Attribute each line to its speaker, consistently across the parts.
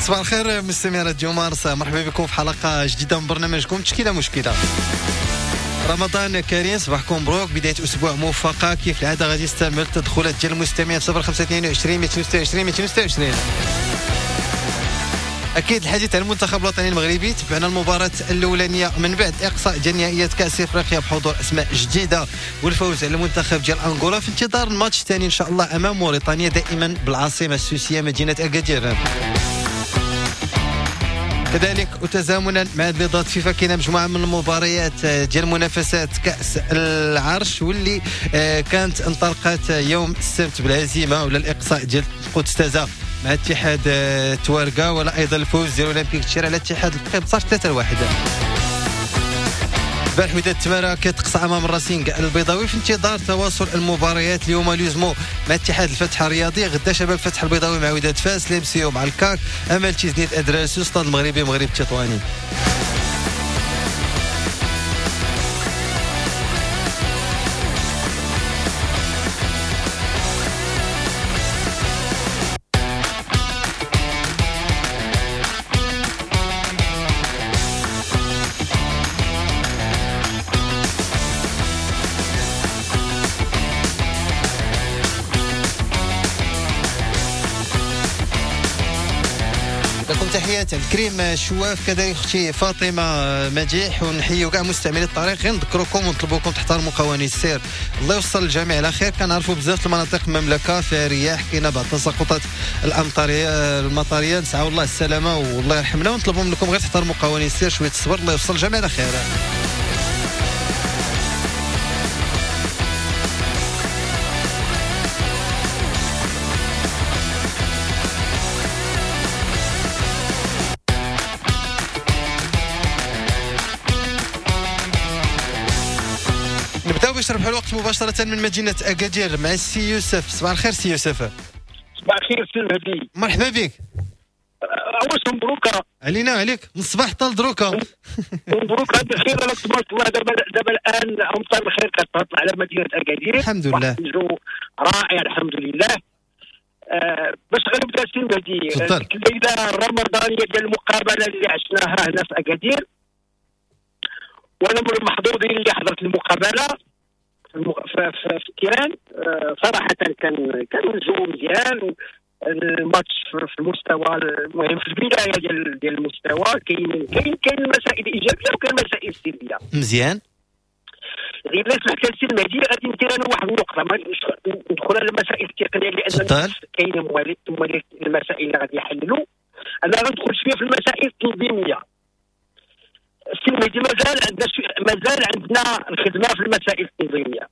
Speaker 1: صباح الخير مستمعي راديو مارس، مرحبا بكم في حلقة جديدة من برنامجكم تشكيلة مشكلة. رمضان كريم، صباحكم مبروك، بداية أسبوع موفقة. كيف العادة غادي نستعمل التدخلات ديال المستمعين 0522 226 226. أكيد الحديث عن المنتخب الوطني المغربي، تبعنا المباراة الأولانية من بعد إقصاء ديال نهائيات كأس إفريقيا بحضور أسماء جديدة والفوز على المنتخب ديال أنغولا، في انتظار الماتش الثاني إن شاء الله أمام موريتانيا دائما بالعاصمة السوسية مدينة أكادير. كذلك وتزامنا مع بيضات فيفا كاينه مجموعة من المباريات ديال منافسات كاس العرش واللي كانت انطلقت يوم السبت بالهزيمة ولا الاقصاء ديال القدس تازا مع اتحاد تواركا، ولا ايضا الفوز ديال اولمبيك الشير على اتحاد الفقيه بصافي 3-1. البارح وداد التمارة كتقصى امام الراسينغ البيضاوي، في انتظار تواصل المباريات اليوم l'USMO مع اتحاد الفتح الرياضي، غدا شباب الفتح البيضاوي مع وداد فاس، l'MCO مع الكاك، امل تيزنيت ادراسو، ستاد المغربي مغرب التطواني. تحيات عبد الكريم شواف، كذلك اختي فاطمة مديح، ونحيوا كاع مستعملي الطريق. غير نذكركم ونطلبوكم تحترموا قوانين السير، الله يوصل الجميع على خير. كنعرفوا بزاف المناطق المملكة فيها رياح، كاينه بعض التساقطات الامطاريه المطريه، نسعوا الله السلامة والله يرحمنا، ونطلبوا منكم غير تحترموا قوانين السير، شوية الصبر، الله يوصل الجميع على خير. باش نربحوا الوقت مباشرة من مدينة أكادير مع السي يوسف. صباح الخير سي يوسف.
Speaker 2: صباح الخير سي المهدي،
Speaker 1: مرحبا بك.
Speaker 2: أول مبروك
Speaker 1: علينا وعليك من الصباح حتى لدروكا.
Speaker 2: مبروك هذا الخير، على تبارك الله. دابا الآن أمطار الخير كتهطل على مدينة أكادير،
Speaker 1: الحمد لله،
Speaker 2: الجو رائع الحمد لله. باش غنبدا سي المهدي، الليلة الرمضانية ديال المقابلة اللي عشناها هنا في أكادير، وأنا من المحظوظين اللي حضرت المقابلة في التيران. صراحة كان الجو مزيان، الماتش في المستوى، المهم في البداية ديال المستوى كاين كاين كاين مسائل إيجابية وكاين مسائل سلبية.
Speaker 1: مزيان.
Speaker 2: غير لا سمحت لي سي المهدي غادي ندير انا واحد النقطة، ما ندخل على المسائل التقنية لأن كاين موالي المسائل اللي غادي يحللوا. أنا غندخل شوية في المسائل التنظيمية. السي المهدي مازال عندنا الخدمة في المسائل التنظيمية.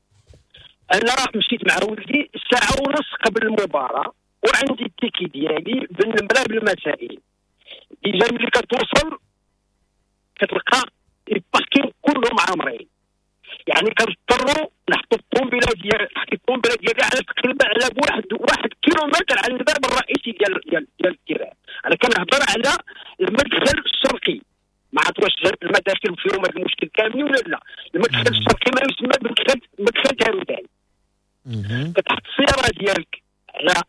Speaker 2: انا مشيت مع ولدي 1.5 ساعة قبل المباراة وعندي ال ticket ديالي بالنمره بالمسائل. déjà ملي كتوصل كتلقى ال parking كلهم عامرين، يعني كنضطروا نحطوا الطوموبيله ديالي ديالي على تقريبا على واحد كيلومتر على الباب الرئيسي ديال ديال ال terrain. انا كنهضر على المدخل الشرقي، ما عرفت واش المداخل فيهم هذا المشكل كامل ولا لا. المدخل الشرقي ما يسمى بمدخل مدخل تارودان. كتحط السيارة ديالك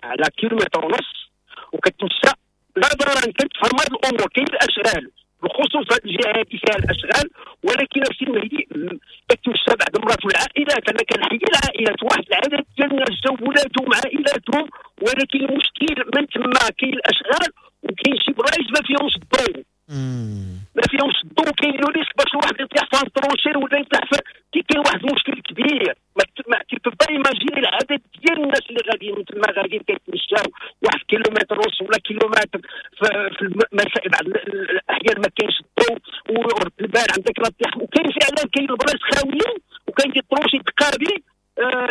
Speaker 2: على كيلومتر ونص وكتمشى لا ضررا، كتفهم هذه الامور. كاين الاشغال بالخصوص هذه الجهة هذه فيها الاشغال، ولكن السي المهدي كتمشى بعض المرات والعائلات. انا كنحيي العائلات، واحد العدد ديال الناس جاو ولادهم عائلاتهم، ولكن المشكل من تما كاين الاشغال وكاين شي بلايص ما فيهمش الضوء، ما فيهمش الضوء، كاين le risque باش الواحد يطيح في tranchée ولا يطيح في، كاين واحد المشكل كبير. ما tu peux pas imaginer العدد ديال الناس اللي غاديين تما، غاديين كيتمشاو 1.5 كيلومتر ولا كيلومتر في المسائل. بعض الاحيان ما كاينش الضوء ورد البال عندك لا طيح، وكاين فعلا كاين البلايص خاويين وكاين des tranchées تقابي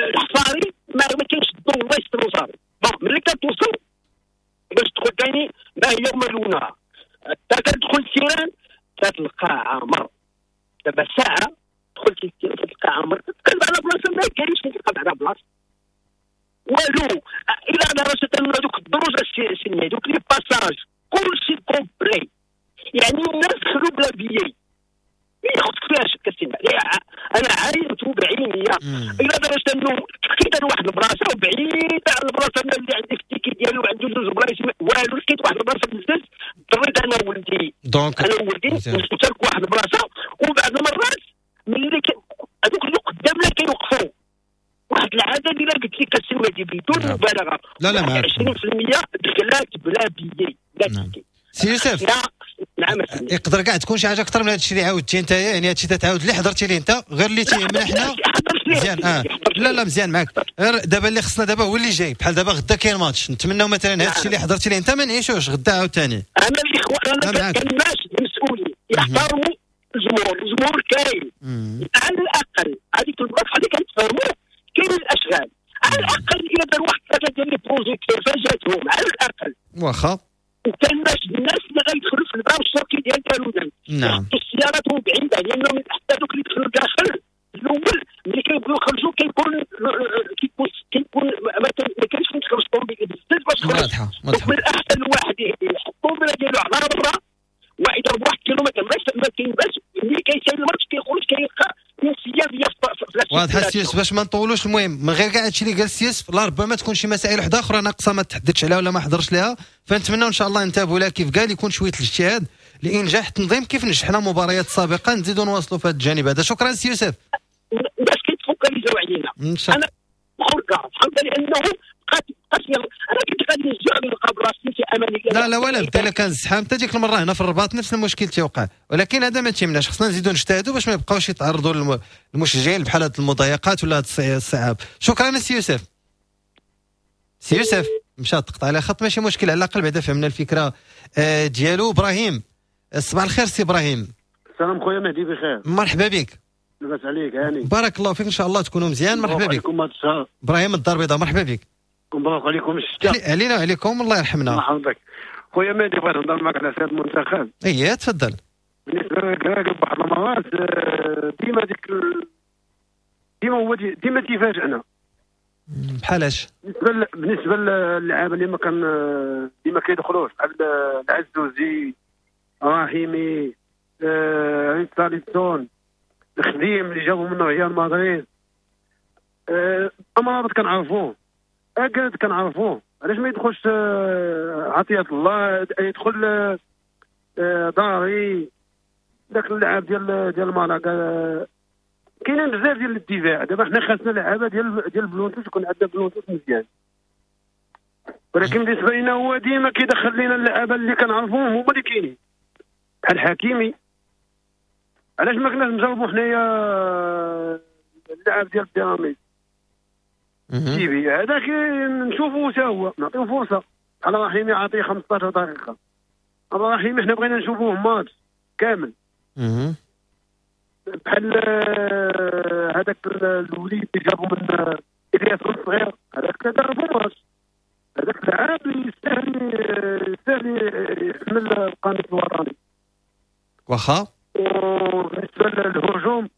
Speaker 2: الحفاري ما كاينش الضوء، الله يستر وصافي. bon ملي كتوصل باش تدخل ثاني ما هي ملونة، حتى كتدخل ال terrain كتلقى عامر. دابا ساعة دخلت ال terrain كتلقى عامر، تقلب على بلاصة ما كاينش، تلقى على بلاصة والو. الى درجه ان دوك الدروج السنية دوك les passages كلشي complet، يعني الناس دخلوا بلا billet. ياخذ فيها شك السنة. انا عاينت بعيني الى درجه انه لقيت واحد البلاصة وبعيدة على البلاصة اللي عندي في ال ticket ديالو وعنده جوج بلايص والو، لقيت واحد البلاصة بزاف اضطريت انا ولدي
Speaker 1: donc
Speaker 2: انا ولدي نشارك واحد البلاصة. وبعض المرات ملي هذوك اللي قدامنا كيوقفوا واحد العدد اللي قلت لك السي المهدي بدون مبالغه،
Speaker 1: لا لا معاك
Speaker 2: 20% دخلات بلا billet لا ticket.
Speaker 1: سي يوسف
Speaker 2: نعم
Speaker 1: يقدر كاع تكون شي حاجة اكثر من هذا الشيء اللي عاودتي انت، يعني هذا الشيء تتعاود اللي حضرتي ليه انت غير اللي تيهمنا حنا مزيان. لا لا مزيان معاك، غير دابا اللي خصنا دابا هو اللي جاي، بحال دابا غدا كاين ماتش، نتمناو مثلا هذا الشيء اللي حضرتي ليه انت ما نعيشوش غدا عاوتاني.
Speaker 2: انا الاخوان انا كناش المسؤولين يحترموا الجمهور، الجمهور كاين على الاقل هذيك البلاصة اللي كنتفاهموا كاين الاشغال على الاقل، الا دار واحد ثلاثة ديال les projecteurs فاجاتهم على الاقل
Speaker 1: واخا،
Speaker 2: وكان باش الناس اللي غيدخلوا في الباب الشرقي ديال تالودان
Speaker 1: نعم
Speaker 2: السيارات بعيدة، لانهم حتى دوك اللي دخلوا داخل الاول ملي كيبغيو يخرجوا كيكون ما كاينش فين تخرج الطوموبيل بزاف باش تخرج.
Speaker 1: واضحة واضحة.
Speaker 2: من الاحسن الواحد يحط الطوموبيله ديالو على برا ويضرب 1 كيلومتر ما كاين باش ملي كيسالي الماتش كيخرج كيلقى انسيابيه.
Speaker 1: واضحة السي يوسف، باش ما نطولوش المهم من غير كاع هادشي اللي قال السي يوسف، لا ربما تكون شي مسائل وحده اخرى ناقصه ما تحددش عليها ولا ما حضرش لها، فنتمنوا ان شاء الله ننتبهوا لها كيف قال، يكون شوية الاجتهاد لانجاح التنظيم كيف نجحنا مباريات سابقه، نزيدوا نواصلوا في هذا الجانب هذا. شكرا سي يوسف.
Speaker 2: باش كيتفوكاليزاو علينا انا حرقه الحمد لله لانه بقات انا كنت غادي نرجع نلقى بلاصتي في امان الله.
Speaker 1: لا لا ولا بدا الا كان الزحام حتى ديك المرة هنا في الرباط نفس المشكل تيوقع، ولكن هذا ما تيمناش، خصنا نزيدوا نجتهدوا باش ما يبقاوش يتعرضوا المشجعين بحال هاد المضايقات ولا هاد الصعاب. شكرا سي يوسف. سي يوسف مشى تقطع على خط، ماشي مشكل، على الاقل بعدا فهمنا الفكرة ديالو. ابراهيم صباح الخير. سي ابراهيم.
Speaker 3: السلام خويا مهدي، بخير؟
Speaker 1: مرحبا بك.
Speaker 3: لاباس عليك؟ هاني
Speaker 1: بارك الله فيك، ان شاء الله تكونوا مزيان. مرحبا بك. ابراهيم الدار البيضاء، مرحبا بك.
Speaker 3: مبروك عليكم الشتاء.
Speaker 1: علينا وعليكم، الله يرحمنا.
Speaker 3: الله يحفظك خويا مهدي، بغيت نهضر معك على سيد المنتخب.
Speaker 1: اييه تفضل.
Speaker 3: بالنسبة للكراكب بعض المرات ديما ديك ديما هو ديما تيفاجئنا.
Speaker 1: بحالاش؟
Speaker 3: بالنسبة للعابه اللي ما كان ديما كيدخلوش بحال العزوزي، رحيمي، ريتساليسون، الخديم اللي جابوا من ريال مدريد، امرابط كنعرفوه، اكاد كنعرفوه، علاش ما يدخلش عطية الله، يدخل داري، داك اللاعب ديال مالاكا. كاينين بزاف ديال الدفاع. دابا حنا خاصنا لعابه ديال بلونتوس، يكون عندنا بلونتوس مزيان، ولكن بالنسبة لنا هو ديما كيدخل لنا اللعابه اللي كنعرفوهم هما اللي كاينين بحال حكيمي. علاش ما كناش نجربوا حنايا اللاعب ديال بيراميد تيبي هذاك، نشوفوا حتى هو نعطيو فرصة. على رحيمي عاطيه 15 دقيقة، على رحيمي حنا بغينا نشوفوه ماتش كامل. بحال هذاك الوليد اللي جابو من الياس الصغير، هذاك داروا ماتش، هذاك اللاعب يستاهل يحمل القميص الوطني.
Speaker 1: واخا.
Speaker 3: وبالنسبة للهجوم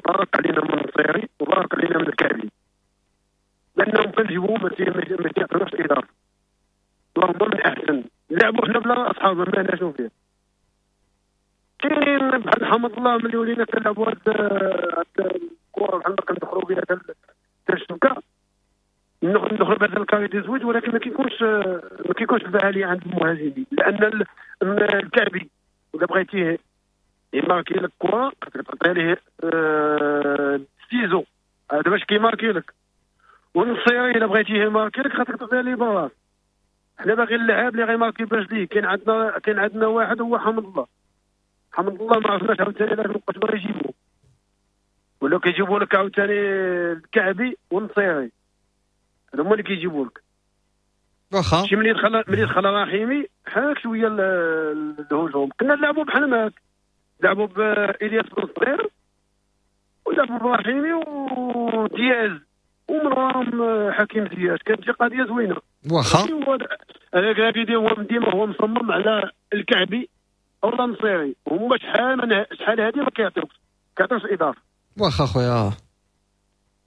Speaker 3: بارك علينا من النصيري وبارك علينا من الكعبي، لانهم كنجيبوهم ما تيعطيوش اضافه. اللهم من احسن لعبوا حنا بلا اصحاب ما ناشو فيه. كاينين بحال حمد الله ملي ولينا كنلعبوا هاد الكره بحال ما كندخلوا بها حتى الشبكة، ندخلوا بهذا ال carré dix-huit، ولكن ما كيكونش الفعالية عند المهاجمين، لان الكعبي ولا بغيتيه يماركي لك كره تعطي ليه ciseaux، هذا باش كيماركي لك. والنصيري الا بغيتيه يماركي لك خاصك تعطيه ليه باص. حنا باغي اللاعب اللي غيماركي برجليه. كاين عندنا واحد هو حمد الله. حمد الله ما عرفناش عاوتاني علاش مابقاش باغي يجيبوه، ولا كيجيبوا لك عاوتاني الكعبي والنصيري، هذا هما اللي كيجيبوا لك.
Speaker 1: واخا
Speaker 3: شي ملي دخل رحيمي حاك شوية الهجوم. كنا نلعبوا بحال ماك، لعبوا بإلياس بن صغير ولعبوا برحيمي ودياز ومن وراهم حكيم زياش، كانت شي قضية زوينة.
Speaker 1: واخا
Speaker 3: انا كنقول هو ديما هو مصمم على الكعبي او النصيري، هما شحال هادي ما كيعطيوش اضافه.
Speaker 1: واخا خويا.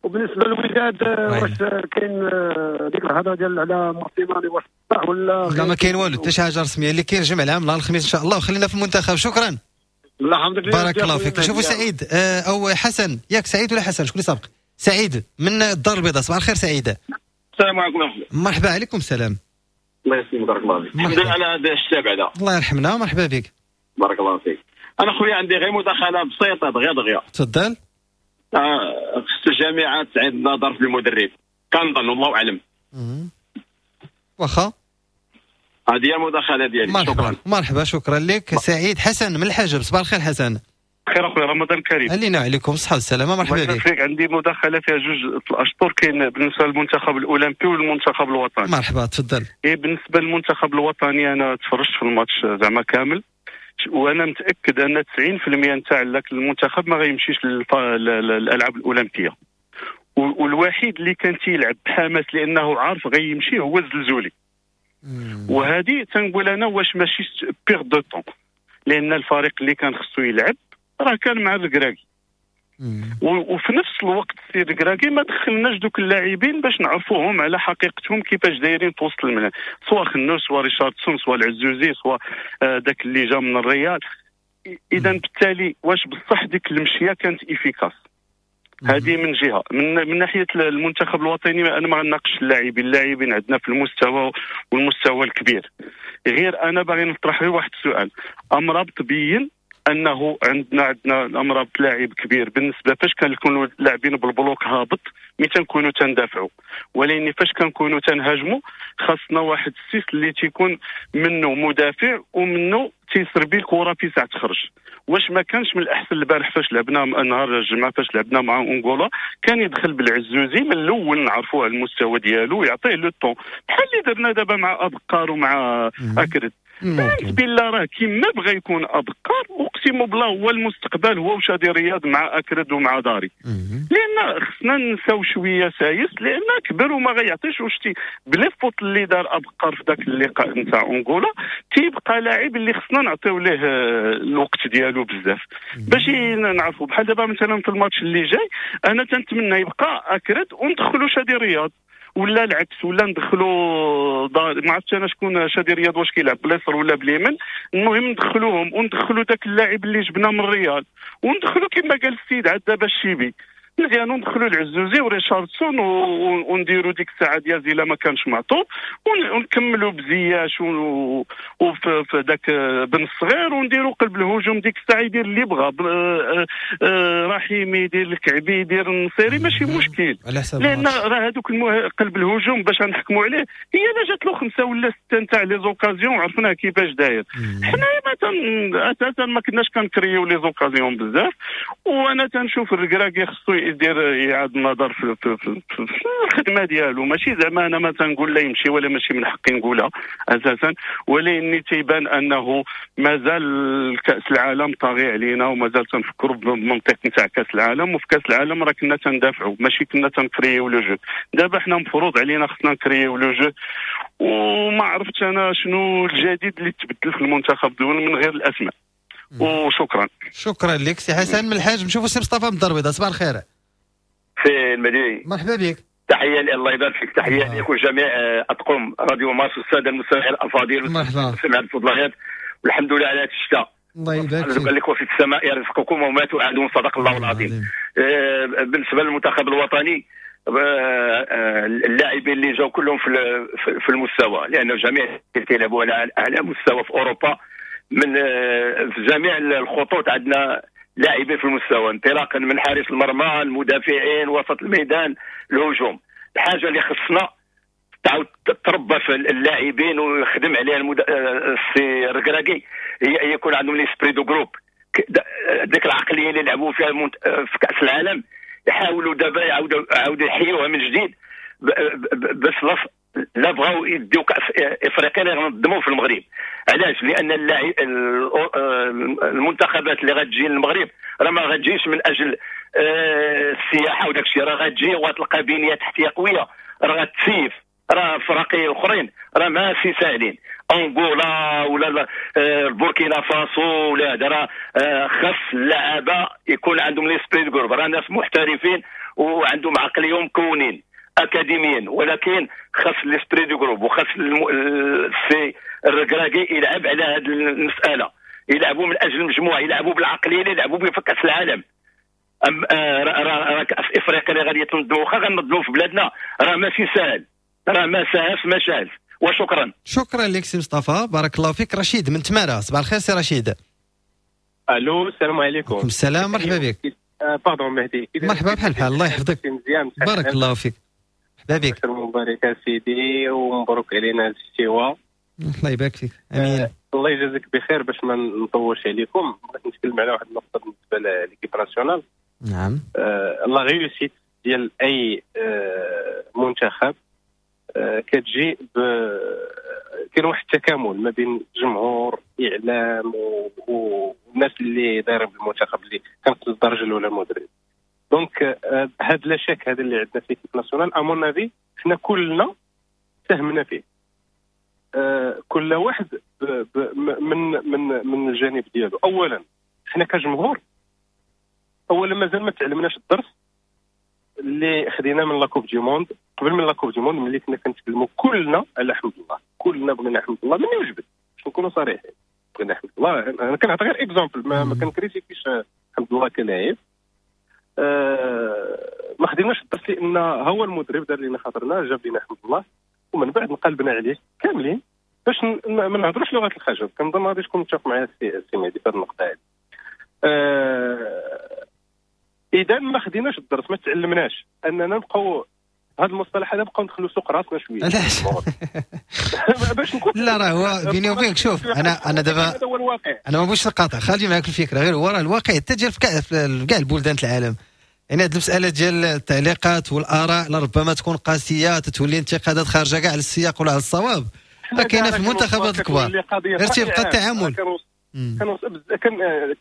Speaker 3: وبالنسبة للوداد واش كاين ديك الهضرة ديال على موسيماني واش صح ولا
Speaker 1: لا؟ ما كاين والو، حتى شي حاجة رسمية. اللي كاين جمع العام نهار الخميس ان شاء الله، وخلينا في المنتخب. شكرا.
Speaker 3: الله يحفظك.
Speaker 1: بارك الله فيك. شوفوا سعيد او حسن، ياك سعيد ولا حسن؟ شكون اللي سابق؟ سعيد من الدار البيضاء. صباح الخير سعيد.
Speaker 4: السلام عليكم ورحمة الله.
Speaker 1: مرحبا. عليكم السلام.
Speaker 4: الله يسلمك، بارك الله فيك. الحمد لله على هذا الشتاء بعدا.
Speaker 1: الله يرحمنا، مرحبا بك.
Speaker 4: بارك الله فيك. انا خويا عندي غير مداخله بسيطة دغيا دغيا.
Speaker 1: تفضل.
Speaker 4: خص الجامعة تعيد النظر في المدرب، كنظن والله اعلم.
Speaker 1: واخا
Speaker 4: هذه هي المداخلة ديالي. شكرا.
Speaker 1: مرحبا، شكرا لك. سعيد حسن من الحاجب، صباح الخير حسن.
Speaker 5: خير اخويا، رمضان كريم.
Speaker 1: علينا وعليكم الصحة والسلامة، مرحبا بك.
Speaker 5: عندي مداخله فيها جوج الاشطر، كاين بالنسبة للمنتخب الاولمبي والمنتخب الوطني.
Speaker 1: مرحبا، تفضل.
Speaker 5: إيه، بالنسبة للمنتخب الوطني انا تفرجت في الماتش زعما كامل، وانا متاكد ان 90% نتاع المنتخب ما غيمشيش للالعاب الاولمبية، والوحيد اللي كان تيلعب بحماس لانه عارف غيمشي هو الزلزولي. وهذه تنقول انا واش ماشي perte de temps، لان الفريق اللي كان خصو يلعب راه كان مع الكراكي، وفي نفس الوقت السي الكراكي ما دخلناش دوك اللاعبين باش نعرفوهم على حقيقتهم كيفاش دايرين في وسط الملعب، سواء خنوس سواء ريشاردسون سواء العزوزي سواء داك اللي جا من الريال. اذا بالتالي واش بصح ديك المشية كانت efficace؟ هذه من جهة. من ناحية المنتخب الوطني انا ما غناقش اللاعبين عندنا في المستوى والمستوى الكبير، غير انا باغي نطرح غير واحد السؤال. امرابط بين انه عندنا امرابط لاعب كبير بالنسبة فاش كنكونوا لاعبين بال bloc هابط ملي تنكونوا تندافعوا، ولكن فاش كنكونوا تنهاجموا خاصنا واحد ال six اللي تيكون منه مدافع ومنه تيسربي الكره في ساعة تخرج. واش ما كانش من الاحسن البارح فاش لعبنا نهار الجمعة فاش لعبنا مع انغولا كان يدخل بالعزوزي من الاول، نعرفوه على المستوى ديالو ويعطيه le temps بحال اللي درنا دابا مع ابقار ومع اكرد. بالله راه كيما بغى يكون ابقار، اقسم بالله هو المستقبل، هو وشادي رياض مع اكرد ومع داري. لان خصنا نساو شوية سايس لان كبر وما غيعطيش. وشتي ب les fautes اللي دار ابقار في ذاك اللقاء نتاع انغولا تيبقى لاعب اللي خصنا نعطيو ليه الوقت ديالو بزاف باش نعرفوا. بحال دابا مثلا في الماتش اللي جاي انا تنتمنى يبقى اكرد وندخلوا شادي رياض، ولا العكس، ولا ندخلوا ما عرفتش انا شكون شادي رياض واش كيلعب باليسر ولا باليمين. المهم ندخلوهم وندخلوا داك اللاعب اللي جبنا من الريال، وندخلوا كما قال السيد عاد دابا الشيبي مزيان، وندخلوا العزوزي وريشاردسون ونديروا ديك الساعة ديال الا ما كانش معطوب، ونكملوا بزياش وفي داك بن الصغير، ونديروا قلب الهجوم ديك الساعة يدير اللي بغى، رحيمي يدير الكعبي يدير النصيري ماشي مشكل، لان راه هذوك قلب الهجوم باش نحكموا عليه هي لا جات له 5 ولا 6 نتاع les occasions عرفناه كيفاش داير. حنا اساسا ما كناش كنكريو les occasions بزاف، وانا تنشوف الركراكي خصو يدير اعاده النظر في الخدمة ديالو. ماشي زعما انا ما تنقول لا يمشي ولا ماشي من حقي نقولها اساسا، ولكن تيبان انه مازال كاس العالم طاغي علينا ومازال تنفكروا بمنطق نتاع كاس العالم. وفي كاس العالم راه كنا تندافعوا ماشي كنا تنكريو le jeu. دابا حنا مفروض علينا خصنا نكريو le jeu، وما عرفتش انا شنو الجديد اللي تبدل في المنتخب دول من غير الاسماء. وشكرا.
Speaker 1: شكرا لك سي حسن من الحاج. نشوفوا سي مصطفى من الدار البيضاء، صباح الخير.
Speaker 6: سي المديني،
Speaker 1: مرحبا بك.
Speaker 6: تحية الله يبارك فيك، تحية لك وجميع اطقم راديو مارس والسادة المستمعين الافاضل.
Speaker 1: مرحبا.
Speaker 6: سمع الفضليات والحمد لله على هذا الشتاء.
Speaker 1: الله يبارك فيك.
Speaker 6: قال لك وفي السماء يرزقكم وما توعدون، صدق الله العظيم. بالنسبة للمنتخب الوطني اللاعبين اللي جاوا كلهم في المستوى، لان الجميع كيلعبوا على اعلى مستوى في اوروبا، من في جميع الخطوط عندنا لاعبين في المستوى، انطلاقا من حارس المرمى، المدافعين، وسط الميدان، الهجوم. الحاجة اللي خصنا تعاود تربى في اللاعبين ويخدم عليها السي الركراكي هي يكون عندهم l'esprit de groupe، ديك العقلية اللي لعبوا فيها في كاس العالم يحاولوا دابا يعاودوا يحيوها من جديد، باش لا بغاو يديو كاس افريقيا اللي غنظموه في المغرب. علاش؟ لان المنتخبات اللي غتجي للمغرب راه ما غتجيش من اجل السياحة وداك الشيء، راه غتجي وغتلقى بنيه تحتيه قوية، راه غتسيف، راه فراقي اخرين راه ماشي ساهلين، انغولا ولا البوركينا فاسو ولا هذا. راه خاص اللعابه يكون عندهم l'esprit de groupe، راه ناس محترفين وعندهم عقلية مكونين اكاديميا، ولكن خاص l'esprit de groupe وخاص السي الركراكي يلعب على هذه المسالة، يلعبوا من اجل المجموعة، يلعبوا بالعقليه اللي يلعبوا بها في كاس العالم. راه كاس افريقيا اللي غادي تنظموا، واخا غنظموا في بلادنا راه ماشي ساهل، راه ما ساهلش ما شاهلش، وشكرا.
Speaker 1: شكرا لك سي مصطفى، بارك الله فيك. رشيد من تمارة، صباح الخير سي رشيد.
Speaker 7: الو السلام عليكم.
Speaker 1: وعليكم السلام، مرحبا بك.
Speaker 7: pardon مهدي.
Speaker 1: مرحبا، بحال بحال، الله يحفظك.
Speaker 7: مزيان،
Speaker 1: بارك الله فيك، مرحبا بك.
Speaker 7: مبارك سيدي ومبروك علينا الاستواء.
Speaker 1: الله يبارك فيك، امين.
Speaker 7: الله يجازيك بخير. باش ما نطولش عليكم بغيت نتكلم على واحد النقطة بالنسبة l'équipe nationale.
Speaker 1: نعم.
Speaker 7: la réussite ديال اي منتخب كتجي كاين واحد التكامل ما بين الجمهور، اعلام والناس اللي دايرين بالمنتخب اللي كانت الدرجة الاولى المدرب. donc هاد l'échec هذا اللي عندنا في l'équipe nationale à mon avis حنا كلنا ساهمنا فيه، كل واحد من من من الجانب ديالو. اولا حنا كجمهور اولا مازال ما تعلمناش الدرس اللي خدينا من la Coupe du Monde. قبل من la Coupe du Monde ملي كنا كنتكلموا كلنا على حمد الله، كلنا بغينا حمد الله من وجبت، باش نكونوا صريحين بغينا حمد الله. انا كنعطي غير exemple، ما كنكريتيكيش حمد الله كلاعب. ما خديناش الدرس لان هو المدرب دار لنا خاطرنا، جاب لنا حمد الله، ومن بعد انقلبنا عليه كاملين باش ما نهضروش لغة الخشب. كنظن غادي تكون متفق معايا السي مهدي في هذه النقطة هذه. اذا ما خديناش الدرس، ما تعلمناش اننا نبقاو هذا المصطلح هذا، نبقاو ندخلوا سوق راسنا شوية.
Speaker 1: علاش؟
Speaker 7: باش نكون
Speaker 1: لا راه هو بيني وبينك، شوف انا دابا انا ما بغيتش نقاطع، خلي معاك الفكرة، غير هو راه الواقع حتى ديال في كاع البلدان العالم، يعني هذه المسالة ديال التعليقات والاراء لربما تكون قاسية، تتولي انتقادات خارجه كاع على السياق ولا على الصواب، راه كاينه في المنتخبات الكبار، غير تيبقى التعامل.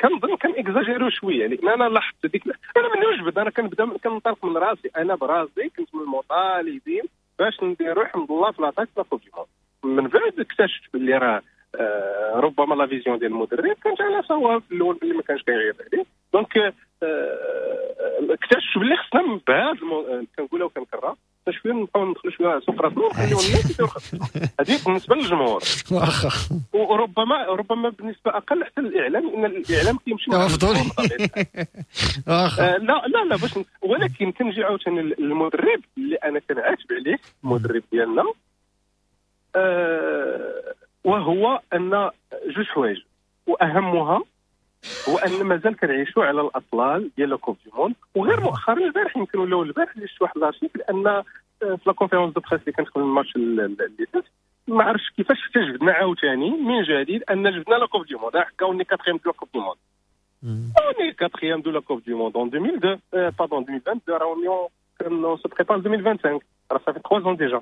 Speaker 7: كنظن كان اكزاجيرو شوية، لان انا لاحظت ديك، انا من وجبد انا كنبدا كنطلق من راسي، انا براسي كنت من المطالبين باش نديرو حمد الله في l'attaque في la Coupe du Monde. من بعد اكتشفت باللي راه ربما la vision ديال المدرب كانت على صواب في الاول، باللي ما كانش كيغير عليه. donc اكتشفت باللي خصنا من بعد كنقولها وكنكررها شوية نبقاو ندخلوا شوية سوق راسنا ونخليو الناس يديروا خدمتهم. هذه بالنسبة للجمهور،
Speaker 1: واخا،
Speaker 7: وربما ربما بالنسبة اقل حتى للاعلام، لان الاعلام كيمشي
Speaker 1: مفضول. واخا
Speaker 7: لا لا لا باش، ولكن كنجي عاوتاني للمدرب اللي انا كنعاتب عليه، المدرب ديالنا، وهو ان جوج حوايج، واهمها هو ان مازال كنعيشوا على الاطلال ديال la Coupe du Monde. وغير مؤخرا البارح يمكن ولا البارح اللي شفت واحد l'article ان في la conférence de presse اللي كانت قبل الماتش اللي فات، ما عرفتش كيفاش حتى جبدنا عاوتاني من جديد ان جبدنا la Coupe du Monde، حكا on est quatrième de la Coupe du Monde، on est quatrième de la Coupe du Monde en 2002 pardon 2022، راه on se prépare 2025، راه صافي 3 ans déjà.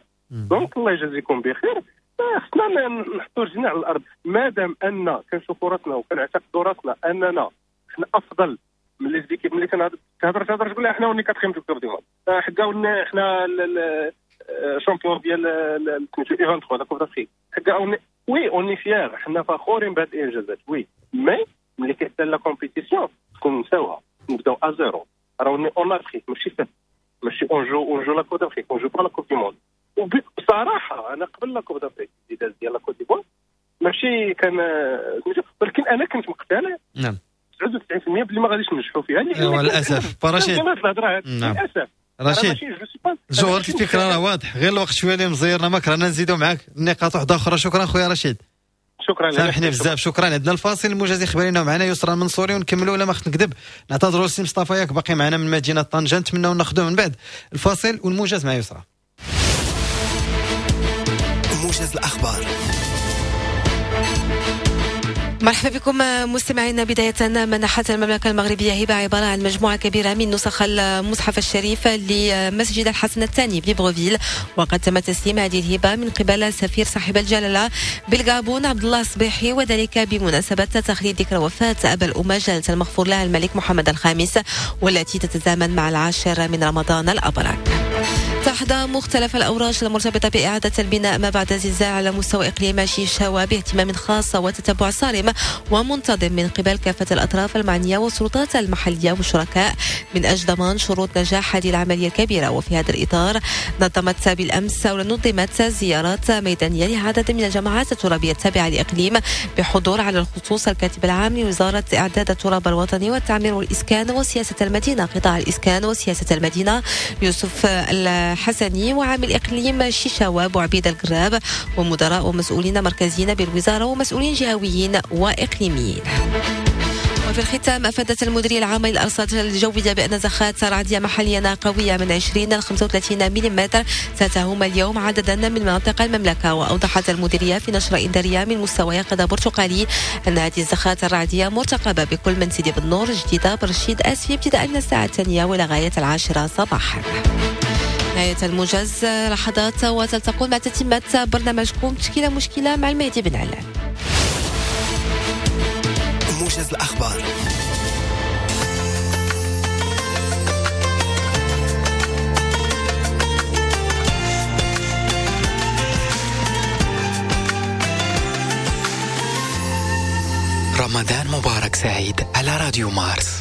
Speaker 7: donc الله يجازيكم بخير، خصنا نحطوا رجلنا على الارض. مادام ان كنشوفوا راسنا وكنعتقدوا راسنا اننا حنا افضل من les équipes، ملي كنهضر تهضر تقول حنا on est quatrième de Coupe du Monde، حكا حنا champion ديال U23 la Coupe d'Afrique، حكا oui on est fiers، حنا فخورين بهاد الانجازات، oui mais ملي كيحتل la compétition تكون نساوها، نبداو à zéro. راه on est en Afrique، ماشي ماشي on joue la Coupe d'Afrique، on joue pas la Coupe du Monde. وبصراحة انا قبل la Coupe d'Afrique اللي داز ديال la Côte d'Ivoire ماشي كان، ولكن انا كنت مقتنع
Speaker 1: نعم
Speaker 7: 99% بلي ما غاديش ننجحوا فيها.
Speaker 1: للاسف رشيد،
Speaker 7: للاسف
Speaker 1: رشيد جوهرة الفكرة راه واضح، غير الوقت شوية اللي مزيرنا ما كرهنا نزيدوا معاك النقاط واحدة اخرى. شكرا خويا رشيد،
Speaker 7: شكرا،
Speaker 1: سامحني بزاف، شكرا. عندنا الفاصل الموجز اخبارينا معنا يسرى المنصوري ونكملوا ولا ما خفت نكذب. نعتذروا سي مصطفى ياك باقي معنا من مدينة طنجه، نتمناو ناخذوه من بعد الفاصل والموجز مع يسرى.
Speaker 8: موجز الأخبار.
Speaker 9: مرحبا بكم مستمعينا. بداية منحت المملكة المغربية هبة عبارة عن مجموعة كبيرة من نسخ المصحف الشريف لمسجد الحسن الثاني بليبروفيل، وقد تم تسليم هذه الهبة من قبل سفير صاحب الجلالة بالغابون عبد الله الصبيحي، وذلك بمناسبة تخليد ذكرى وفاة أبا الأمة جلالة المغفور لها الملك محمد الخامس، والتي تتزامن مع 10 من رمضان الأبرك. تحظى مختلف الأوراش المرتبطة بإعادة البناء ما بعد الزلزال على مستوى إقليم شيشاوة باهتمام خاص وتتبع صارم ومنتظم من قبل كافة الأطراف المعنية والسلطات المحلية والشركاء من أجل ضمان شروط نجاح هذه العملية الكبيرة. وفي هذا الإطار نظمت بالأمس أو نظمت زيارات ميدانية لعدد من الجماعات الترابية التابعة لإقليم بحضور على الخصوص الكاتب العام لوزارة إعداد التراب الوطني والتعمير والإسكان وسياسة المدينة قطاع الإسكان وسياسة المدينة يوسف الحسني وعامل إقليم شيشاوة بوعبيد القراب ومدراء ومسؤولين مركزيين بالوزارة ومسؤولين جهويين وإقليميين. وفي الختام، أفادت المديرية العامة للأرصاد الجوية بأن زخات رعدية محليا قوية من 20 إلى 35 ملم ستهم اليوم عددا من مناطق المملكة. وأوضحت المديرية في نشرة إنذارية من مستوى يقظة برتقالي أن هذه الزخات الرعدية مرتقبة بكل من سيدي بالنور، جديدة، برشيد، آسفي ابتداء من الساعة 2 وإلى غاية 10 صباحا. نهاية الموجز، لحظات وتلتقون مع تتمة برنامجكم تشكيلة مشكلة مع المهدي بن علان.
Speaker 8: موجز الأخبار. رمضان مبارك سعيد على راديو مارس.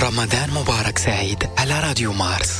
Speaker 8: رمضان مبارك سعيد على راديو مارس.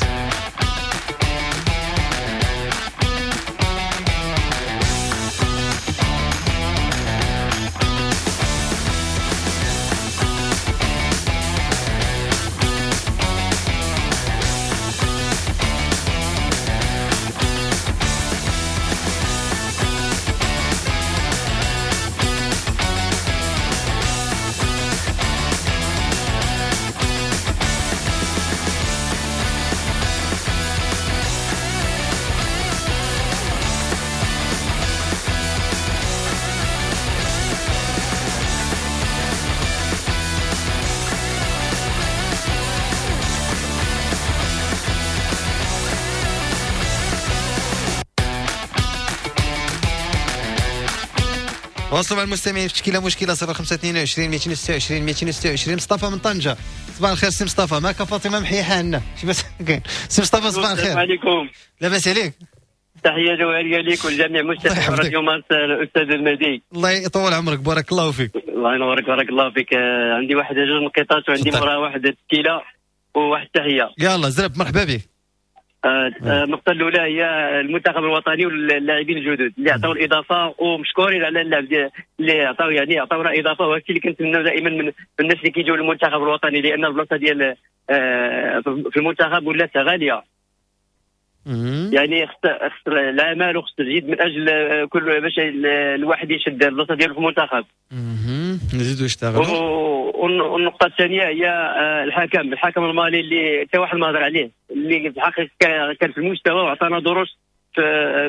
Speaker 1: واصلوا مع المستمعين في تشكيله مشكلة 0522 226 226. مصطفى من طنجه، صباح الخير سي مصطفى. معك فاطمة محيحه عندنا شي بس كاين. سي مصطفى صباح الخير.
Speaker 10: السلام عليكم،
Speaker 1: لاباس عليك؟
Speaker 10: تحية جوهرية ليك ولجميع مستمعي راديو مارس. الاستاذ المهدي
Speaker 1: الله يطول عمرك، بارك الله فيك.
Speaker 10: الله ينورك، بارك الله فيك. عندي واحد جوج نقيطات وعندي موراها واحد التشكيلة وواحد التحية.
Speaker 1: يلا زرب، مرحبا بك.
Speaker 10: النقطة الأولى هي المنتخب الوطني واللاعبين الجدد اللي عطاو الإضافة، ومشكورين على اللعب اللي عطاو، يعني عطاونا إضافة، وهادشي اللي كنتمناو دائما من الناس اللي كيجيو للمنتخب الوطني، لأن البلاصة ديال في المنتخب ولات غالية. يعني خص العمل وخص الجد من أجل كل باش الواحد يشد البلاصة ديالو في المنتخب.
Speaker 1: نزيدو يشتغلوا.
Speaker 10: والنقطة الثانية هي الحكم المالي اللي حتى واحد ما هضر عليه، اللي في الحقيقة كان في المستوى وعطانا دروس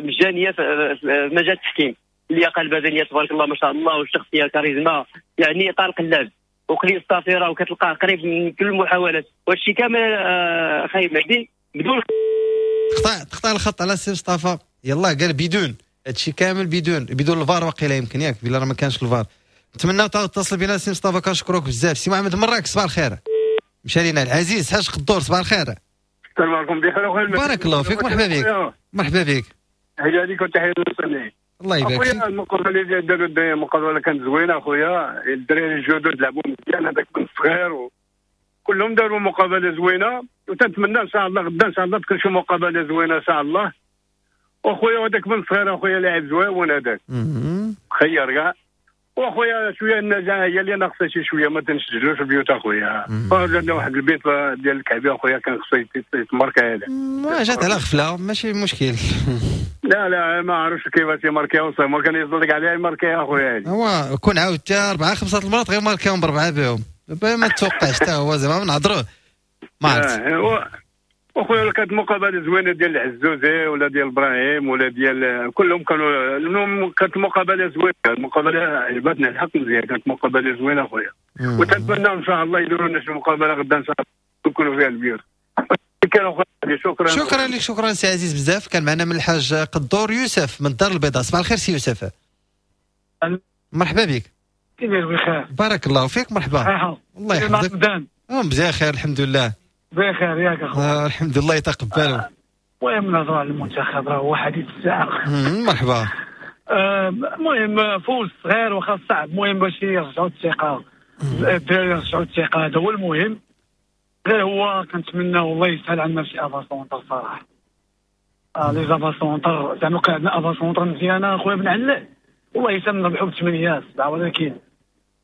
Speaker 10: مجانية في مجال التحكيم، اللياقة البدنية تبارك الله ما شاء الله، والشخصية كاريزما، يعني طارق اللعب وقليل الصافرة وكتلقاه قريب من كل المحاولات، وهادشي كامل خايب مهدي بدون
Speaker 1: تقطع الخط على سي مصطفى. يلا قال بدون هادشي كامل، بدون الفار وقيله يمكن، ياك بلا راه ما كانش الفار. نتمنى تتصل بنا سي مصطفى، كنشكروك بزاف. سي محمد مراك صباح الخير. مشى لينا العزيز حاج قدور، صباح الخير.
Speaker 11: السلام عليكم، بخير اخويا.
Speaker 1: بارك الله فيك، مرحبا بك. مرحبا بك،
Speaker 11: تحية ليك وتحية للمستمعين.
Speaker 1: الله يبارك فيك.
Speaker 11: اخويا المقابلة اللي داروا الدراري المقابلة كانت زوينة اخويا، الدراري الجدد لعبوا مزيان، هذاك بن الصغير كلهم داروا مقابله زوينة، وتنتمنى ان شاء الله غدا ان شاء الله تكون شي مقابله زوينة ان شاء الله. واخويا هذاك بن الصغير اخويا لاعب زوين هذاك خير كاع. واخويا شوية النجاة هي اللي ناقصه شي شوية، ما تنسجلوش البيوت اخويا. جاتنا واحد البيت ديال الكعبيه اخويا كان خصو يتماركا هذا،
Speaker 1: ما جات على غفلة ماشي مشكل.
Speaker 11: لا لا ما عرفتش كيفاش يماركيها وصافي، ما كان يصدق عليها يماركيها اخويا.
Speaker 1: هو كون عاود حتى 4 5 المرات غير ماركيهم بربعه بهم، ما توقعش حتى هو زعما نهضروه ما عرفت.
Speaker 11: واخويا كانت مقابله زوينة ديال العزوزي ولا ديال ابراهيم ولا ديال كلهم كانوا، المهم كانت مقابله زوينة، المقابلة عجبتنا الحق مزيان، كانت مقابله زوينة اخويا. وتنتمنى ان شاء الله يديروا لنا شي مقابله غدا ان شاء الله يكونوا فيها البيوت. شكرا
Speaker 1: شكرا لك، شكرا سي عزيز بزاف. كان معنا من الحاج قدور يوسف من الدار البيضاء. صباح الخير سي يوسف، مرحبا بك.
Speaker 12: كيف بخير؟
Speaker 1: بارك الله فيك، مرحبا. الله يحفظك. مزيان خير الحمد لله.
Speaker 12: بخير ياك اخويا.
Speaker 1: الحمد لله يتقبلوا.
Speaker 12: المهم نهضروا على المنتخب، راه هو حديث الساعة.
Speaker 1: مرحبا.
Speaker 12: المهم فوز صغير واخا صعب، المهم باش يرجعوا الثقة، الدراري يرجعوا الثقة، هذا هو المهم. غير هو كنتمنى والله يسهل عندنا شي avant-centre صراحة. les avant-centres زعما كان عندنا avant-centre مزيانه اخويا بن علال، والله يسهل نربحوا ب8 7، ولكن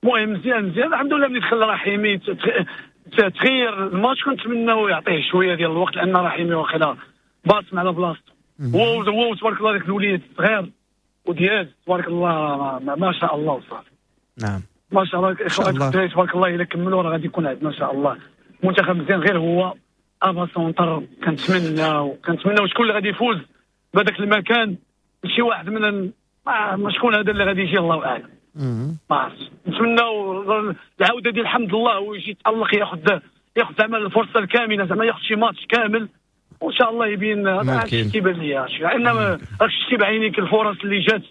Speaker 12: المهم مزيان مزيان الحمد لله. ملي دخل رحيمي تغير الماتش، كنتمناو يعطيه شوية ديال الوقت، لان رحيمي واخا باصم على بلاصتو. هو تبارك الله داك الوليد الصغير ودياز تبارك الله ما شاء الله وصافي.
Speaker 1: نعم
Speaker 12: ما شاء الله تبارك الله، الا كملوا راه غادي يكون عندنا ان شاء الله منتخب مزيان. غير هو avant-centre كنتمناو شكون اللي غادي يفوز بهذاك المكان، شي واحد من ما شكون هذا اللي غادي يجي الله اعلم. ما عرفتش. نتمناو العودة ديال الحمد لله ويجي يتالق، ياخذ زعما الفرصة الكاملة، زعما ياخذ شي ماتش كامل وان شاء الله يبين. هذا كيبان ليا لان راك شتي بعينيك الفرص اللي جات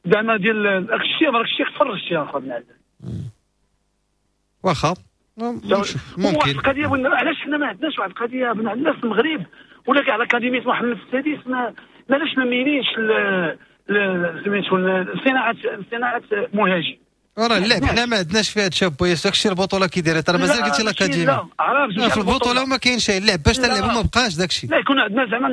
Speaker 12: زعما ديال راك شتي تفرجتي يا خويا بن عبد.
Speaker 1: واخا ممكن
Speaker 12: واحد القضية، علاش حنا ما عندناش واحد القضية بن عبد في المغرب ولا كاع الاكاديمية محمد السادس ما علاش ما مينينش سميتو صناعة مهاجم.
Speaker 1: راه اللعب حنا ما عندناش فيها شاب يوسف، داكشي البطولة كي دايرة ترى مازال قلتي l'académie
Speaker 12: عرفت
Speaker 1: في البطولة وما كاينش اللعب باش تلعبوا ما بقاش داكشي.
Speaker 12: لا يكون عندنا زعما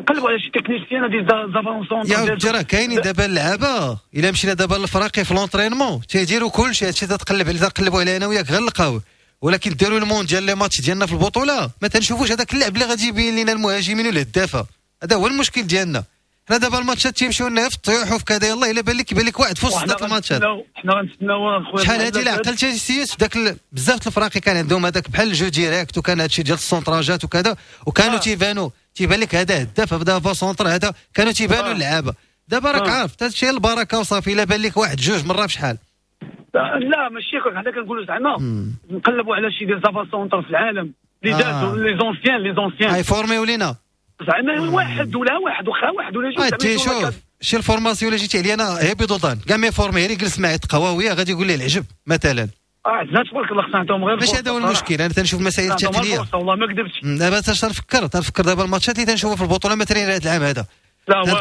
Speaker 12: نقلبوا على شي technicien ديال d'avant-centre.
Speaker 1: يا ودي راه كاينين دابا اللعابه، الا مشينا دابا للفراقي في l'entraînement تيديروا كلشي هادشي، تتقلب عليه تنقلبوا عليه انا وياك غير نلقاوه، ولكن déroulement ديال les matchs ديالنا في البطولة ما تنشوفوش هذاك اللعب اللي غادي يبين لنا المهاجمين والهدافه. هذا هو المشكل ديالنا حنا دابا الماتشات تيمشيو لنا في الطيوح وفي كذا، يلاه الا بان لك يبان لك واحد في وسط الماتشات.
Speaker 12: حنا غنتسناو خويا
Speaker 1: شحال هادي لا عقلتي سيس داك بزاف الفراقي كان عندهم هذاك بحال ال jeu direct، وكان هادشي ديال السونتراجات وكذا، وكانوا تيبانوا تيبان لك هذا هداف هذا avant-centre هذا، كانوا تيبانوا اللعابه. دابا راك عارف هادشي البركة وصافي، الا بان لك واحد جوج مرة بشحال.
Speaker 12: لا ماشي حنا كنقولوا زعما نقلبوا على شي des avant-centres في العالم اللي دازوا les anciens les anciens
Speaker 1: يفورميو لينا
Speaker 12: زعما واحد ولا واحد وخا واحد ولا جوج.
Speaker 1: تي شوف شي ال formation اللي جيتي عليا انا هي بيضوطان كاع ما يفورمي غير يجلس معايا تقواويه غادي يقول لي العجب مثلا.
Speaker 12: عندنا تبارك الله خصنا نعطيهم غير
Speaker 1: ماشي هذا هو المشكل. انا تنشوف المسائل التقنية
Speaker 12: والله ما كذبتش.
Speaker 1: دابا تنفكر دابا الماتشات اللي تنشوفها في البطولة مثلا هذا العام هذا،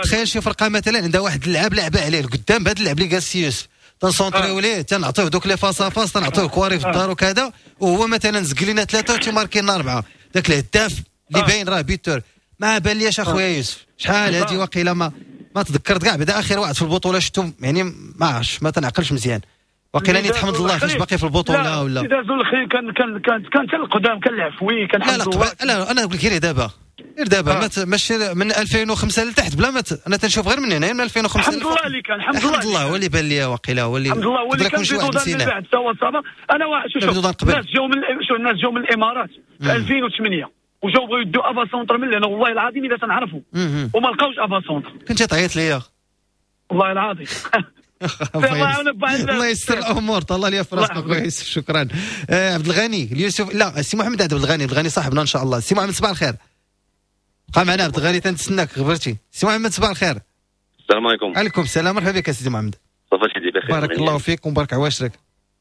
Speaker 1: تخيل شي فرقه مثلا عندها واحد اللعاب لعبه عليه القدام بهذا اللعب اللي جالس يوسف تنسونطريو ليه تنعطيوه دوك les face à face تنعطيوه كواري في الدار وكذا، وهو مثلا زق لنا ثلاثة وتيماركي لنا اربعة، داك الهداف اللي باين راه buteur. ما بان ليش اخويا يوسف شحال هادي واقيلا ما تذكرت كاع، بعدا اخر واحد في البطولة شفتو يعني ما عرفتش ما تنعقلش مزيان، واقيلا ني تحمد الله فاش باقي في البطولة ولا
Speaker 12: دازوا الاخرين. كان كان كان كان حتى القدام كان العفوي كان
Speaker 1: لا لا لا انا نقول لك غير دابا غير دابا ماشي من 2005 لتحت بلا ما انا تنشوف غير من هنا من 2005.
Speaker 12: الحمد لله اللي كان
Speaker 1: الحمد لله هو اللي بان لي واقيلا هو اللي
Speaker 12: الحمد لله هو اللي كان في من بعد سوا صافا. انا واحد شوف الناس جاو من الناس جاو من الامارات في 2008 وجاو بغاو يدوا avant-centre من هنا، والله العظيم الا تنعرفوا وما لقاوش avant-centre.
Speaker 1: كنت تعيط ليا
Speaker 12: والله العظيم.
Speaker 1: الله يستر الامور. طلع لي في راسك اخويا يوسف شكرا. عبد الغني اليوسف لا سي محمد عبد الغني، عبد الغني صاحبنا ان شاء الله. سي محمد صباح الخير، بقى معنا عبد الغني تنتسناك غبرتي. سي محمد صباح الخير.
Speaker 13: السلام عليكم.
Speaker 1: عليكم السلام، مرحبا بك سيدي محمد.
Speaker 13: صافا سيدي بخير،
Speaker 1: بارك الله فيك ومبارك عواشرك.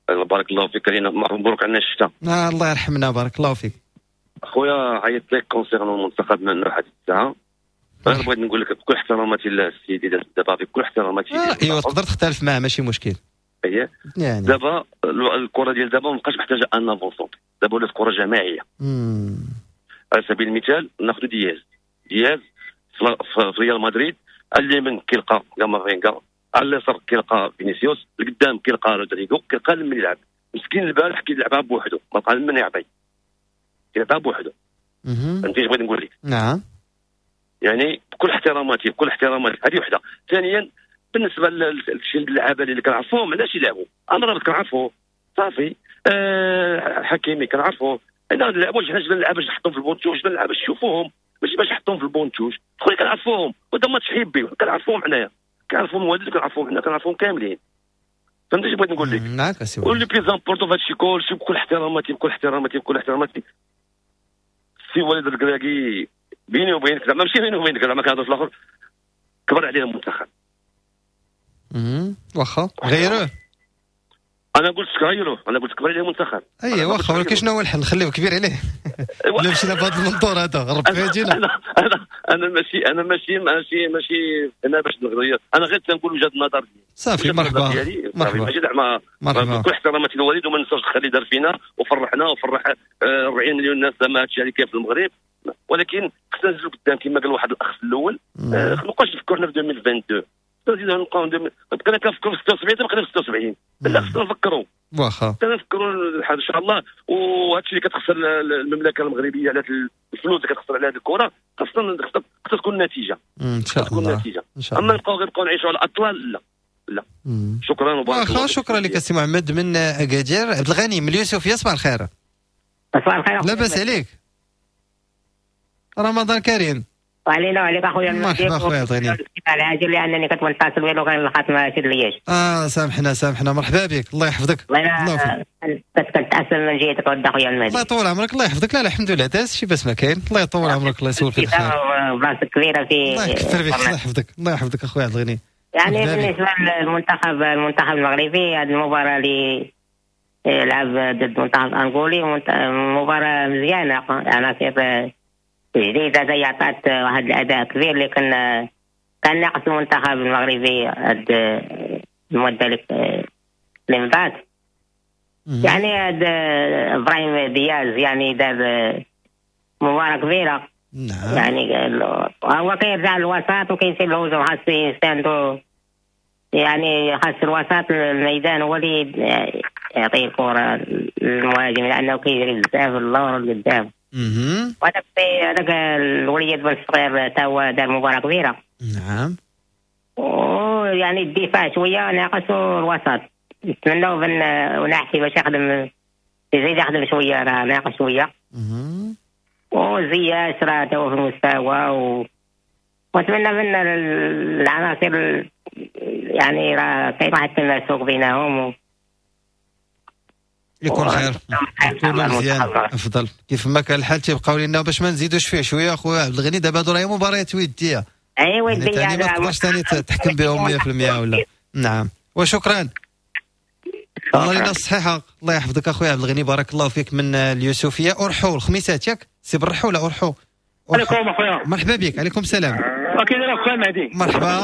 Speaker 13: بارك الله فيك، علينا مبروك علينا الشتاء.
Speaker 1: الله يرحمنا، بارك الله فيك.
Speaker 13: خويا عيطت لك concernant المنتخب من واحد الساعة. انا بغيت نقول لك بكل احتراماتي للسيد دابا بكل احتراماتي.
Speaker 1: ايوا تقدر تختلف معاه ماشي مشكل.
Speaker 13: اييه يعني دابا الكره ديال دابا ما بقاش محتاجه un avant-centre، دابا ولات كره جماعية. على سبيل المثال ناخذ دياز في ريال مدريد، على اليمين كيلقى كامافينغا، على اليسار كيلقى فينيسيوس، القدام كيلقى رودريغو، كيلقى لمن يلعب. مسكين البارح كيلعبها بوحدو، ما بقى لمن يعطي، كيلعبها بوحدو. فهمتي اش بغيت نقول لك؟
Speaker 1: نعم.
Speaker 13: يعني بكل احتراماتي بكل احتراماتي، هذه وحده. ثانيا بالنسبة لشي اللعابه اللي كنعرفوهم علاش يلعبوا، امرابط كنعرفوه صافي، حكيمي كنعرفوه، انا نلعبوا حنا جبنا اللعابه باش نحطهم في ال banc de touche، جبنا اللعابه باش نشوفوهم، ماشي باش نحطهم في ال banc de touche. خويا كنعرفوهم، وهذا ماتش حبي كنعرفوهم حنايا، كنعرفوهم والد كنعرفوهم حنا، كنعرفوهم كاملين. فهمتي اش بغيت نقول لك؟
Speaker 1: معاك اسي.
Speaker 13: و le plus important في هادشي كلشي بكل احتراماتي بكل احتراماتي بكل احتراماتي، السي وليد الكراكي بيني وبينك زعما ماشي بيني وبينك زعما كنهضر في الاخر، كبر عليه المنتخب.
Speaker 1: واخا غيروه.
Speaker 13: انا قلت غيروه، انا قلت كبر عليه المنتخب.
Speaker 1: اي واخا، ولكن شنو هو الحل؟ نخليه كبير عليه ولا مشينا بهذا المنظور هذا ربي يهدينا.
Speaker 13: انا انا ماشي انا ماشي ماشي ماشي انا باش نغير، انا غير تنقول وجهه النظر ديالي
Speaker 1: صافي. مرحبا
Speaker 13: مرحبا، ماشي زعما بكل احتراماتي للوليد، وما ننساوش الخير اللي دار فينا وفرحنا وفرح 40 مليون ناس زعما هادشي اللي كاين في المغرب، ولكن خصنا نزلوا قدام كما قال واحد الاخ في الاول. ما نبقاوش نفكروا حنا في 2022، نزيدو نبقاو بقينا كنفكروا في 76 بقينا في 76. لا خصنا نفكروا،
Speaker 1: واخا
Speaker 13: خصنا نفكروا ان شاء الله. وهادشي اللي كتخسر المملكة المغربية على الفلوس اللي كتخسر على هذه الكره، خصنا تكون النتيجة
Speaker 1: ان شاء الله.
Speaker 13: النتيجة. اما نبقاو غير نبقاو نعيشوا على الاطلال، لا لا. شكرا وبارك الله.
Speaker 1: شكرا لك سي محمد من اكادير. عبد الغني من اليوسفيه صباح الخير.
Speaker 14: صباح الخير،
Speaker 1: لاباس عليك؟ رمضان كريم.
Speaker 14: وعلينا وعليك اخويا.
Speaker 1: مرحبا اخويا عبد الغني.
Speaker 14: العاجل لانني كنت منتصل والو كان الخط ما شدليش.
Speaker 1: سامحنا سامحنا، مرحبا بك، الله يحفظك.
Speaker 14: الله كنت من جهتك ود اخويا المهدي.
Speaker 1: الله يطول عمرك، الله يحفظك. لا لا الحمد لله داز شي باس ما كاين، الله يطول عمرك، الله يسول فيك الخير.
Speaker 14: بلاصتك كبيرة في
Speaker 1: الله يكثر بك، الله يحفظك، الله يحفظك اخويا عبد الغني.
Speaker 14: يعني بالنسبة للمنتخب المنتخب المغربي، هذه المباراة اللي لعب ضد المنتخب الانغولي مباراة مزيانه، عناصر جديدة زي عطات واحد الأداء كبير اللي كان ناقص المنتخب المغربي هاد المدة اللي مضات. يعني هذا ابراهيم دياز يعني دار مباراة كبيرة.
Speaker 1: نعم.
Speaker 14: يعني هو كيرجع للوسط وكيمشي للهجوم، خاص يستندو يعني خاص الوسط الميدان هو اللي يعطي الكرة للمهاجم لأنه كيجري بزاف اللور والقدام. وهذاك هذاك الوليد بن الصغير تا هو دار مباراة كبيرة.
Speaker 1: نعم.
Speaker 14: ويعني الدفاع شوية ناقص الوسط، نتمناو بن ونحكي باش يخدم، يزيد يخدم شوية، راه ناقص شوية. وزياش راه تا هو في المستوى ونتمنى من العناصر يعني راه كاين واحد التماسك بينهم
Speaker 1: يكون خير، يكون مزيان افضل. كيف ما كان الحال تيبقاو لنا باش ما نزيدوش فيه شوية اخويا عبد الغني. دابا هادو راهي مباريات وديه.
Speaker 14: ايوا وديه
Speaker 1: يعني ما تقدرش ثاني تحكم بهم 100% ولا. نعم وشكرا. الله لنا الصحيحة، الله يحفظك اخويا عبد الغني، بارك الله فيك. من اليوسفيه ارحو الخميسات ياك سي بالرحو ولا ارحو؟
Speaker 15: عليكم اخويا.
Speaker 1: مرحبا بك. عليكم السلام.
Speaker 15: كي داير اخويا مهدي؟
Speaker 1: مرحبا.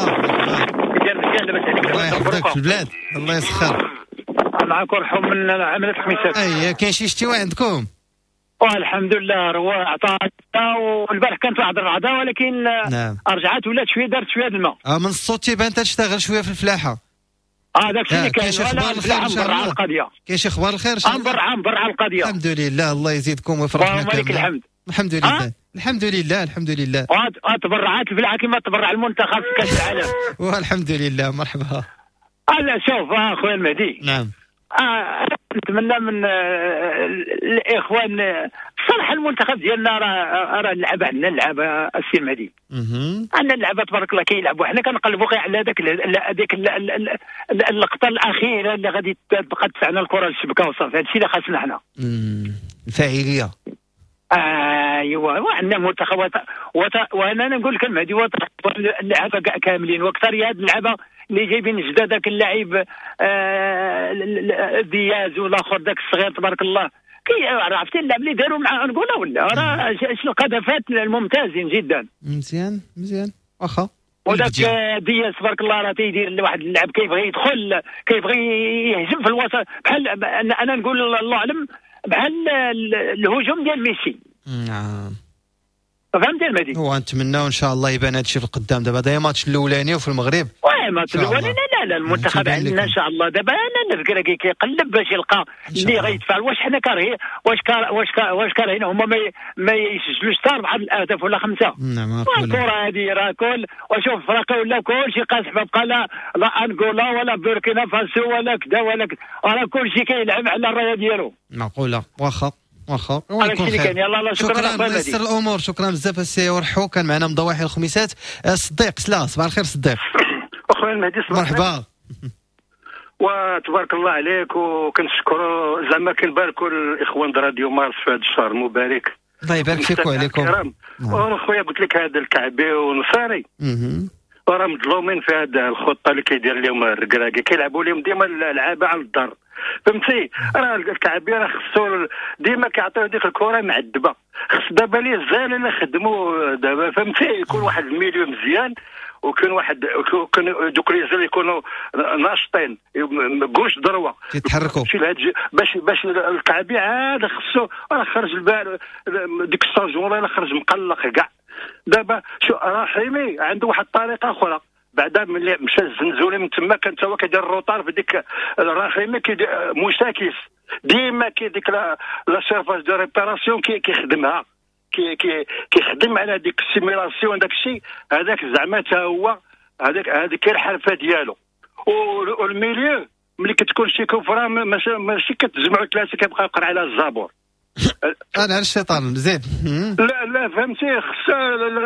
Speaker 1: الله يحفظك في البلاد، الله يسخر.
Speaker 15: معاك ارحو من عملية الخميسات.
Speaker 1: اي كاين شي اشتواء عندكم؟
Speaker 15: الحمد لله روا عطانا، والبارح كانت واحد الرعده ولكن
Speaker 1: نعم.
Speaker 15: رجعت ولات شوية، دارت شوية الماء.
Speaker 1: من الصوت تيبان تشتغل شوية في الفلاحة.
Speaker 15: داك الشيء اللي كاين. ولا الفلاحة مبرعه القضية.
Speaker 1: كاين شي اخبار الخير؟
Speaker 15: مبرعه القضية.
Speaker 1: الحمد لله، الله يزيدكم ويفرحنا كامل.
Speaker 15: لك الحمد.
Speaker 1: الحمد لله. الحمد لله الحمد لله.
Speaker 15: تبرعات الفلاحة كما تبرع المنتخب في كاس العالم.
Speaker 1: والحمد لله. مرحبا.
Speaker 15: لا شوف اخويا المهدي.
Speaker 1: نعم.
Speaker 15: نتمنى من الاخوان صراحة المنتخب ديالنا راه اللعبة عندنا، اللعبة السي المهدي عندنا اللعبة تبارك الله كيلعبوا. حنا كنقلبوا غير على هذاك اللقطة الاخيرة اللي غادي تبقى تدفعنا الكره للشبكه وصافي. هذا الشيء اللي خاصنا حنا.
Speaker 1: الفاعلية.
Speaker 15: ايوا وعندنا منتخب وانا نقول لك المهدي اللعبة كاملين، واكثر هاد اللعبة اللي جايبين جداد، داك اللاعب دياز والاخر داك الصغير تبارك الله، كي عرفتي اللعب اللي داروا مع انغولا ولا راه القذفات الممتازين جدا.
Speaker 1: مزيان مزيان واخا.
Speaker 15: وداك دياز تبارك الله راه تيدير واحد اللعب كيبغي يدخل، كيبغي يهجم في الوسط، بحال انا نقول الله اعلم بحال الهجوم ديال ميسي.
Speaker 1: نعم
Speaker 15: فهمتي المهدي.
Speaker 1: ونتمناو ان شاء الله يبان هادشي في القدام. دابا هذا ماتش الاولاني وفي المغرب.
Speaker 15: oui match الاولاني. لا لا المنتخب عندنا ان شاء الله دابا انا نذكر كيقلب باش يلقى اللي غيدفع. واش حنا كارهين؟ واش كارهين هما ما يسجلوش حتى 4 الاهداف ولا 5.
Speaker 1: نعم
Speaker 15: الكره هذه راه كل وشوف فرقه ولا كلشي قاصح، ما بقى لا انغولا ولا بوركينا فاسو ولا كذا ولا كذا، راه كلشي كيلعب على الراية ديالو.
Speaker 1: معقولة واخا واخا. شكرا الله يسر الامور. شكرا بزاف السي ورحو، كان معنا من ضواحي الخميسات صديق سلا. صباح الخير صديق.
Speaker 16: اخويا المهدي
Speaker 1: مرحبا
Speaker 16: وتبارك الله عليك، وكنشكروا زعما كنباركوا الاخوان راديو مارس في هذا الشهر المبارك.
Speaker 1: الله يبارك فيك وعليكم.
Speaker 16: اخويا قلت لك هذا الكعبي ونصاري راه مظلومين في هذه الخطة اللي كيدير لهم الركراكي، كيلعبوا لهم ديما اللعابه على الدار، فهمتي؟ راه الكعبي راه خصو ديما كيعطيو ديك الكره معذبة، خص دابا les ailes اللي خدموا دابا، فهمتي؟ يكون واحد ال milieu مزيان، وكان واحد دوك les ailes يكونوا ناشطين gauche droite
Speaker 1: يتحركوا
Speaker 16: باش الكعبي عاد خصو راه خرج البال ديك الساجون راه خرج مقلق كاع. دابا شو رحيمي عنده واحد الطريقة اخرى، بعدا ملي مشى الزنزولي من تما كان تا هو كيدير ال retard في ديك الرحيمي مشاكس ديما كي ديك la surface de réparation كيخدمها، كيخدم على ديك ال simulation داك الشيء هذاك زعما تا هو هذاك هذيك الحرفة ديالو. وال milieu ملي كتكون شي coup franc ماشي كتجمعوا ثلاثة كيبقى يقرا على الزابور.
Speaker 1: انا على الشيطان زيد.
Speaker 16: لا لا فهمتي، خص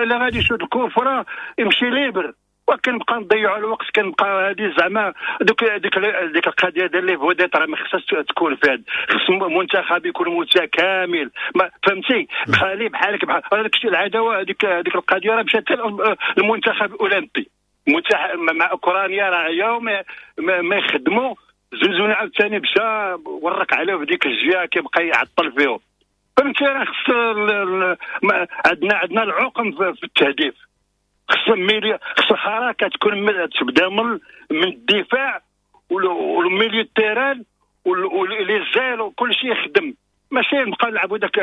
Speaker 16: لا غادي يشوط ال coup franc يمشي libre، وكنبقى نضيعوا الوقت، كنبقى هذه زعما دوك ديك القضية ديال les vedettes راه ما خصهاش تكون في هذا، خص المنتخب يكون متكامل، فهمتي؟ بحالي بحالك بحال هذاك الشيء العداوة هذيك القضية راه مشات المنتخب الاولمبي مع اوكرانيا راه يوم ما يخدموا زنزونة عاوتاني مشى ورك عليه في ديك الجهة كيبقى يعطل فيهم، فهمتي؟ راه خص عندنا العقم في التهديف، خص خص الحركة تكون تبدا من الدفاع
Speaker 11: وال milieu terrain و les ailes وكل شيء يخدم، ماشي نبقى نلعبوا داك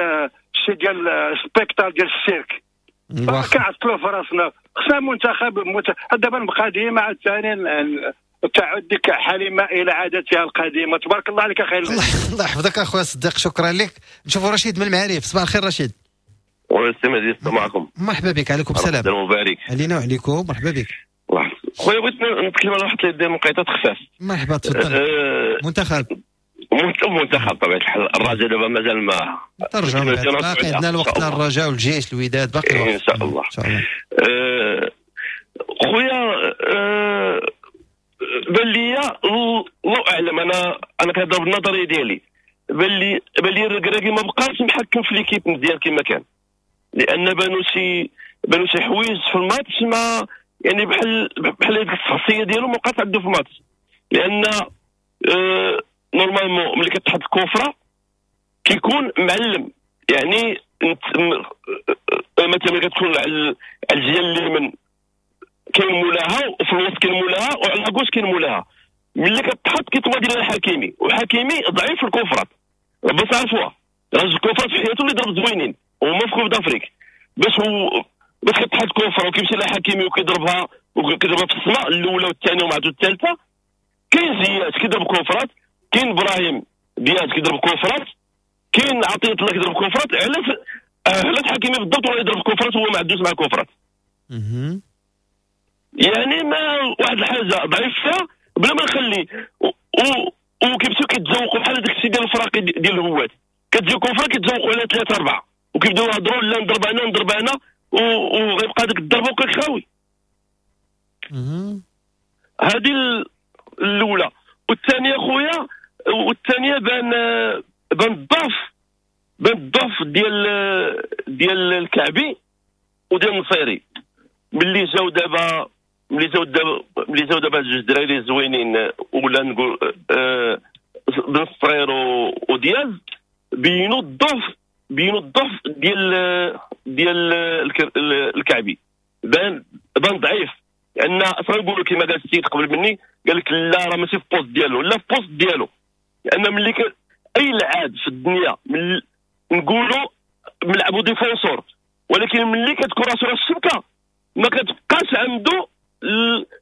Speaker 11: الشيء ديال spectacle ديال السيرك. كنعطلوا في راسنا، خصنا منتخب دابا نبقى ديما عاوتاني تعود ديك حليمة الى عادتها القديمة. تبارك الله عليك اخي.
Speaker 1: الله يحفظك اخويا صديق، شكرا لك. نشوفوا رشيد من المعارف. صباح الخير رشيد.
Speaker 13: والسلام معكم.
Speaker 1: مرحبا بك. عليكم السلام.
Speaker 13: مبارك
Speaker 1: علينا وعليكم. مرحبا بك.
Speaker 13: خويا بغيت نتكلم على واحد ديال النقيطات خفاف.
Speaker 1: مرحبا تفضل. منتخب
Speaker 13: طبيعة الحال الرجاء دابا مازال ما
Speaker 1: ترجعوا، باقي عندنا الوقت للرجاء والجيش الوداد باقي الوقت
Speaker 13: ان شاء الله. ان شاء الله. خويا بان لي الله اعلم، انا كنهضر بالنظريه ديالي، بان لي الركراكي ما بقاش محكم في l'équipe مزيان كما كان، لان بانوا شي حوايج في الماتش ما يعني بحال هذيك الشخصية ديالو ما بقاش عنده في الماتش. لان normalement ملي كتحط ال coup franc كيكون معلم، يعني مثلا ملي كتكون على الجهة اليمين كاين مولاها، وفي الوسط كاين مولاها، وعلى gauche كاين مولاها. ملي كتحط كيتوما ديال الحكيمي، وحكيمي ضعيف في ال coup franc، باش عرفوها راجل ال coup franc في حياته اللي ضرب زوينين وهما في Coupe d'Afrique، باش كتحط coup franc وكيمشي لحكيمي وكيضربها في السماء الاولى والثانية ومع الثالثة. كاين زياش كيضرب coup franc، كاين ابراهيم دياز كيضرب coup franc، كاين عطية الله كيضرب coup franc. علاش حكيمي بالضبط ولا يضرب coup franc هو ما عندوش مع coup franc؟ يعني ما واحد الحاجة ضعيف فيها بلا ما نخلي وكيمشيو كيتزوقوا بحال هذاك الشيء ديال الفراقي ديال الهوات، كتجي coup franc كيتزوقوا على 3 4 وكيبداو يهضروا لا نضرب انا نضرب انا، وغيبقى ديك الضربة وكيخاوي. هذه الاولى. والثانية خويا، والثانية بان الضعف ديال الكعبي وديال النصيري. ملي جاو دابا جوج دراري زوينين، ولا نقول بن الصغير ودياز، بينوا الضعف ديال الكعبي. بان ضعيف، لان اصلا نقولوا كما قال السيد قبل مني، قال لك لا راه ماشي في poste ديالو، لا في poste ديالو. لان ملي اي لعاب في الدنيا نقولوا ملعبوا défenseur، ولكن ملي كتكون راسو راس الشبكة ما كتبقاش عنده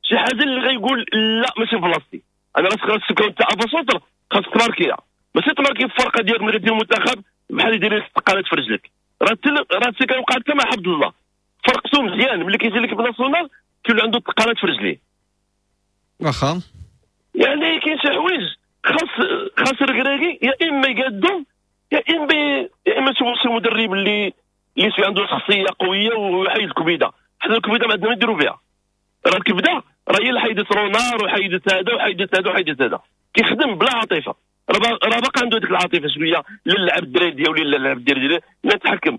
Speaker 13: شي حاجة اللي غيقول لا ماشي في بلاصتي، انا راسك راس الشبكة وانت avant-centre خاصك تماركيها، ماشي تماركي في الفرقة ديالك ملي كدير المنتخب بحال يدير لك الثقالات في رجلك. راه كيوقع حتى مع عبد الله، فرقتو مزيان ملي كيجي l'équipe nationale كيولي عنده الثقالات في رجليه.
Speaker 1: واخا
Speaker 13: يعني كاين شي حوايج خاص الركراكي يا اما يقادو، يا اما تشوفوا شي مدرب اللي عنده شخصية قوية ويحيد الكبيده. حنا الكبيده ما عندنا ما نديرو بها، راه الكبده راه هي اللي حيدت رونار وحيدت هذا وحيدت هذا وحيدت هذا، كيخدم بلا عاطفة. راه باقي عنده ديك العاطفة شوية، لا لعب الدراري ديالو لا لعب الدراري ديالو، لا تحكم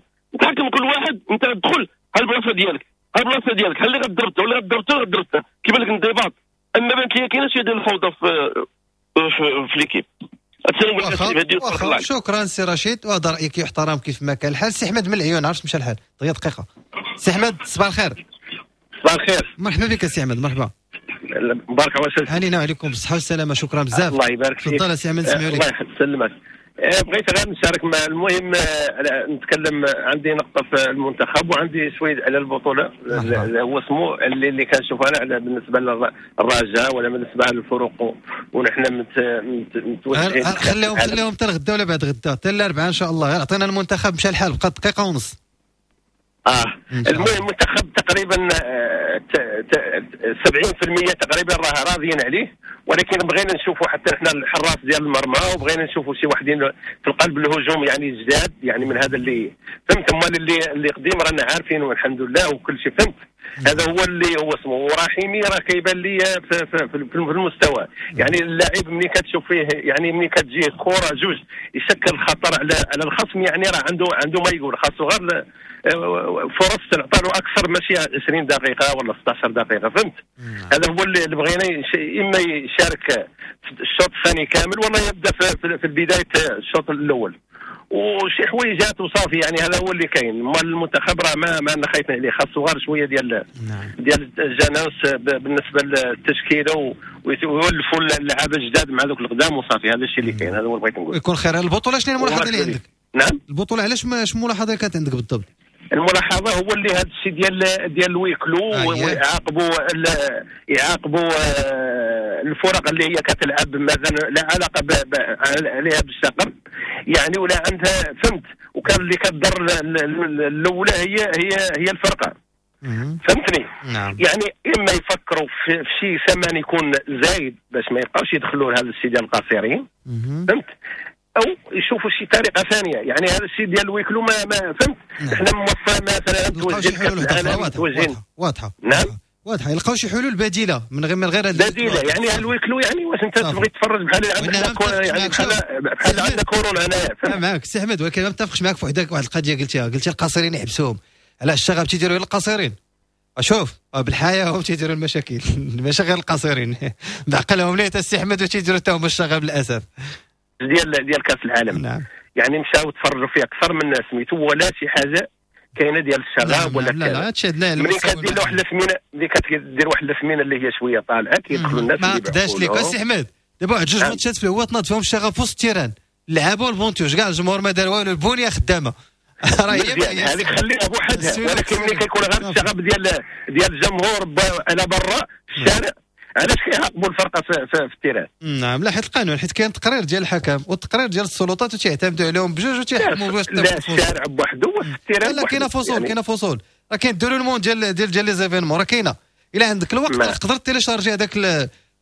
Speaker 13: كل واحد. انت تدخل ها البلاصة ديالك، ها البلاصة ديالك، ها اللي غضربته ولا غضربته ولا غضربته، كيبان لك انضباط. اما بانت لي كاينه شوية ديال الفوضى في l'équipe.
Speaker 1: شكرا سي رشيد، وهذا رايك يحترم كيف ما كان الحال. سي احمد من العيون، عرفت مشى الحال دقيقة دقيقة. سي احمد صباح الخير.
Speaker 17: صباح الخير،
Speaker 1: مرحبا بك سي احمد. مرحبا،
Speaker 17: مبارك الله
Speaker 1: علينا وعليكم بالصحة والسلامة. شكرا بزاف،
Speaker 17: الله يبارك فيك.
Speaker 1: تفضل سي احمد، نسمعوا لك.
Speaker 17: الله يسلمك. بغيت غير نشارك مع المهم نتكلم، عندي نقطة في المنتخب وعندي شوية على البطولة. هو اسمه اللي كنشوف انا على بالنسبة للرجاء ولا بالنسبة للفرق، ونحن متوجهين.
Speaker 1: خليهم حتى الغدا ولا بعد غدا حتى الاربعاء ان شاء الله. عطينا المنتخب مشى الحال، بقى دقيقة ونص.
Speaker 17: المهم المنتخب تقريبا 70% تقريبا راه راضيين عليه، ولكن بغينا نشوفوا حتى حنا الحراس ديال المرمى، وبغينا نشوفوا شي وحدين في القلب الهجوم يعني جداد، يعني من هذا اللي فهمت. امال اللي قديم رانا عارفين والحمد لله وكل شيء فهمت. هذا هو اللي هو اسمه. ورحيمي راه كيبان لي في المستوى، يعني اللاعب ملي كتشوف فيه، يعني ملي كتجيه كره جوج يشكل خطر على الخصم، يعني راه عنده ما يقول، خاصو غير فرص تعطى له اكثر، ماشي 20 دقيقة ولا 16 دقيقة فهمت. هذا هو اللي بغينا، اما يشارك في الشوط الثاني كامل ولا يبدا في بداية الشوط الاول. وشي حويجات وصافي. يعني هذا هو اللي كاين. مال المنتخب راه ما خايفين عليه، خاصو غير شوية ديال ديال الجناس بالنسبة للتشكيله ويولفوا اللعابه الجداد مع ذوك القدام وصافي. هذا الشيء اللي كاين، هذا هو اللي بغيت نقول.
Speaker 1: يكون خير. البطولة شنو الملاحظة اللي عندك؟
Speaker 17: نعم،
Speaker 1: البطولة علاش شنو الملاحظة اللي كانت عندك بالضبط؟
Speaker 17: الملاحظة هو اللي هذا الشيء ديال ال huis clos ويعاقبوا يعاقبوا الفرق اللي هي كتلعب مثلا لا علاقة عليها بالشغب يعني ولا عندها، فهمت؟ وكان اللي كتضر الاولى هي هي هي الفرقة، فهمتني؟
Speaker 1: نعم.
Speaker 17: يعني اما يفكروا في شي ثمن يكون زايد باش ما يبقاوش يدخلوا لهذا الشيء ديال القاصرين، فهمت؟ او يشوفوا شي طريقه ثانية. يعني هذا الشيء ديال ال huis clos ما فهمت. احنا موفر مثلا
Speaker 1: توجه واضحة.
Speaker 17: نعم
Speaker 1: واضحة، يلقاو شي حلول بديله من غير
Speaker 17: بديله. يعني ال huis clos يعني واش انت تبغي تفرج بحال عندنا يعني بحال عندنا كورونا هنايا.
Speaker 1: معاك سي احمد، ولكن ما متفقش معاك في واحد القضية قلتي القاصرين يحبسوهم. علاش الشغب تيديروا القاصرين؟ اشوف بالحياة هم تيديروا المشاكل ماشي غير القاصرين بعقلهم ليه السي احمد وتيديروا حتى هما الشغب للاسف
Speaker 17: ديال كاس العالم.
Speaker 1: نعم.
Speaker 17: يعني مشاو تفرجوا فيه اكثر من سميتو ولا شي حاجة كاينه ديال الشغب ولا
Speaker 1: كذا. لا
Speaker 17: ملي كدير واحد الثمينة، ملي كدير واحد الثمينة اللي هي شوية طالعه كيدخلوا الناس.
Speaker 1: ما قداش ليك السي احمد، دابا واحد جوج ماتشات في الهواء تناض فيهم الشغب في وسط ال terrain، لعبوا البونتوش كاع الجمهور ما دار والو، البنية خدامه
Speaker 17: راه هي هذيك خليها بوحدها. ولكن ملي كيكون غير الشغب ديال الجمهور على برا في الشارع، علاش كيعاقبوا الفرقة في ال terrain؟
Speaker 1: نعم، لا حيت القانون، حيت كاين تقرير ديال الحكم والتقرير ديال السلطات وتيعتمدوا عليهم بجوج وتيحكموا باش
Speaker 17: لا الشارع بوحدو وفي ال terrain.
Speaker 1: لا كاينه فصول، يعني كاينه فصول، راه كاين déroulement ديال ديال ديال les événements، راه كاينه. الا عندك الوقت تقدر télécharger هذاك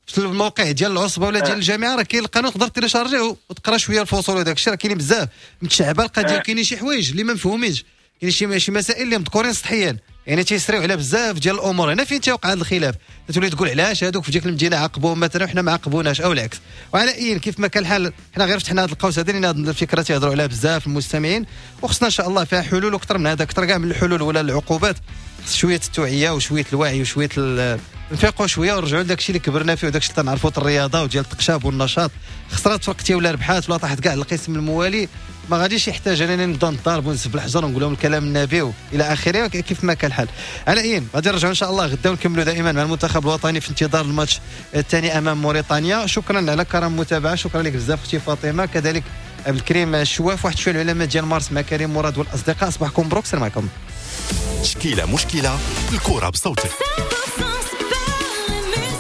Speaker 1: في الموقع ديال العصبة ولا ديال الجامعة، راه كاين القانون تقدر télécharger وتقرا شوية الفصول وداك الشيء. راه كاينين بزاف متشعبة القضية، كاينين شي حوايج اللي ما مفهومينش، كاين شي مسائل اللي مذكورين سطحيا، يعني تيسريو على بزاف ديال الامور. هنا فين تيوقع هذا الخلاف، تولي تقول علاش هذوك في ديك المدينة عاقبوهم مثلا وحنا ما عاقبوناش او العكس. وعلى اي كيف ما كان الحال، حنا غير فتحنا هذا القوس هذا لان هذه الفكرة تيهضروا عليها بزاف المستمعين، وخصنا ان شاء الله فيها حلول اكثر من هذا، اكثر كاع من الحلول ولا العقوبات. شوية التوعية وشوية الوعي وشوية نفيقوا شوية ونرجعوا لداك الشيء اللي كبرنا فيه وداك الشيء اللي تنعرفوا، الرياضة وديال التقشاب والنشاط. خسرات فرقتي ولا ربحات ولا طاحت كاع القسم الموالي، ما غاديش يحتاج انني نبدا نضارب ونسب الحجر ونقول لهم الكلام النبي الى اخره. كيف ما كان الحال، على اين غادي نرجعوا ان شاء الله غدا ونكملوا دائما مع المنتخب الوطني في انتظار الماتش الثاني امام موريتانيا. شكرا على كرم المتابعة، شكرا لك بزاف اختي فاطمة، كذلك عبد الكريم الشواف، واحد شوية العلماء ديال مارس مع كريم مراد والاصدقاء. صباحكم مبروك، السلام عليكم.
Speaker 18: تشكيله مشكلة، الكره بصوتك.